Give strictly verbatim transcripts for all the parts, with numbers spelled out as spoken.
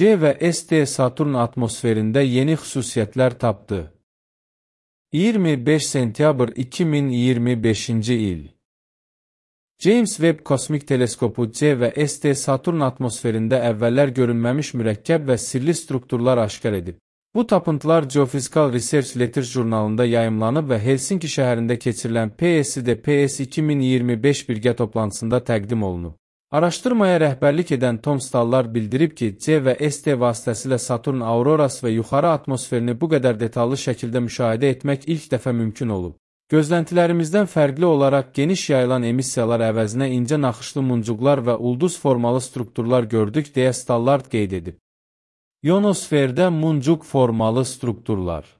C və S D Saturn atmosferində yeni xüsusiyyətlər tapdı. iyirmi beş sentyabr iki min iyirmi beşinci il. James Webb Kosmik Teleskopu C və S D Saturn atmosferində əvvəllər görünməmiş mürəkkəb və sirli strukturlar aşkar edib. Bu tapıntılar Geophysical Research Letters jurnalında yayımlanıb və Helsinki şəhərində keçirilən P S D P S iki min iyirmi beş birgə toplantısında təqdim olunub. Araşdırmaya rəhbərlik edən Tom Stallar bildirib ki, C və S D vasitəsilə Saturn aurorası və yuxarı atmosferini bu qədər detallı şəkildə müşahidə etmək ilk dəfə mümkün olub. Gözləntilərimizdən fərqli olaraq geniş yayılan emissiyalar əvəzinə incə naxışlı muncuqlar və ulduz formalı strukturlar gördük, deyə Stallard qeyd edib. Ionosferdə muncuq formalı strukturlar.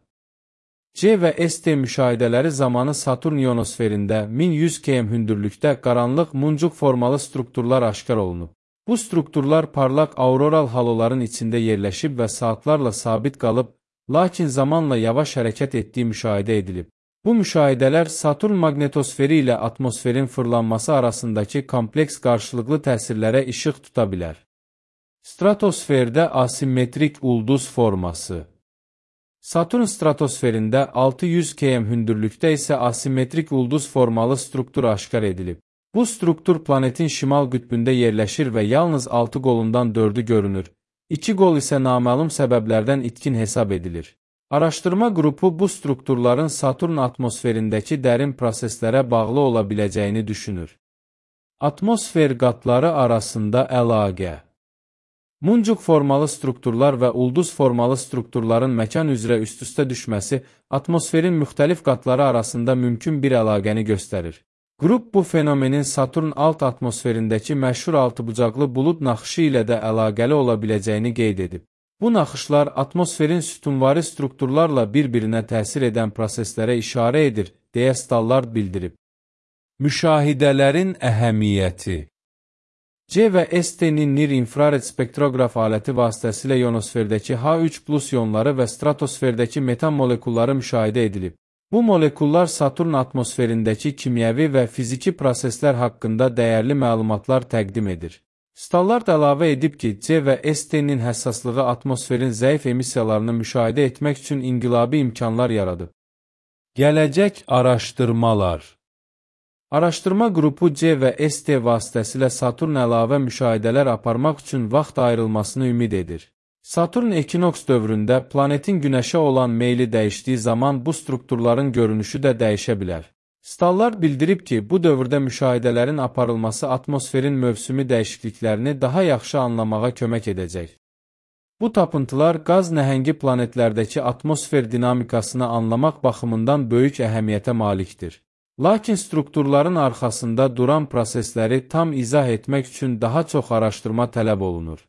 C və S D müşahidələri zamanı Saturn ionosferində min yüz kilometr hündürlükdə qaranlıq muncuq formalı strukturlar aşkar olunub. Bu strukturlar parlaq auroral haloların içində yerləşib və saatlarla sabit qalıb, lakin zamanla yavaş hərəkət etdiyi müşahidə edilib. Bu müşahidələr Saturn maqnetosferi ilə atmosferin fırlanması arasındakı kompleks qarşılıqlı təsirlərə işıq tuta bilər. Stratosferdə asimetrik ulduz forması. Saturn stratosferində altı yüz kilometr hündürlükdə isə asimetrik ulduz formalı struktur aşkar edilib. Bu struktur planetin şimal qütbündə yerləşir və yalnız altı qolundan dördü görünür. iki qol isə naməlum səbəblərdən itkin hesab edilir. Araşdırma qrupu bu strukturların Saturn atmosferindəki dərin proseslərə bağlı ola biləcəyini düşünür. Atmosfer qatları arasında əlaqə. Muncuq formalı strukturlar və ulduz formalı strukturların məkan üzrə üst-üstə düşməsi atmosferin müxtəlif qatları arasında mümkün bir əlaqəni göstərir. Qrup bu fenomenin Saturn alt atmosferindəki məşhur altıbucaqlı bulud naxışı ilə də əlaqəli ola biləcəyini qeyd edib. Bu naxışlar atmosferin sütunvari strukturlarla bir-birinə təsir edən proseslərə işarə edir, deyə Stallard bildirib. Müşahidələrin əhəmiyyəti. C və S D-nin NIR infrared spektroqraf aləti vasitəsilə ionosferdəki H üç plus ionları və stratosferdəki metan molekulları müşahidə edilib. Bu molekullar Saturn atmosferindəki kimyəvi və fiziki proseslər haqqında dəyərli məlumatlar təqdim edir. Stallard əlavə edib ki, C və S D-nin həssaslığı atmosferin zəif emissiyalarını müşahidə etmək üçün inqilabi imkanlar yaradıb. Gələcək araşdırmalar. Araşdırma qrupu C və S D vasitəsilə Saturn əlavə müşahidələr aparmaq üçün vaxt ayrılmasını ümid edir. Saturn ekinoks dövründə planetin Günəşə olan meyli dəyişdiyi zaman bu strukturların görünüşü də dəyişə bilər. Stallard bildirib ki, bu dövrdə müşahidələrin aparılması atmosferin mövsümi dəyişikliklərini daha yaxşı anlamağa kömək edəcək. Bu tapıntılar qaz nəhəngi planetlərdəki atmosfer dinamikasını anlamaq baxımından böyük əhəmiyyətə malikdir. Lakin strukturların arxasında duran prosesləri tam izah etmək üçün daha çox araşdırma tələb olunur.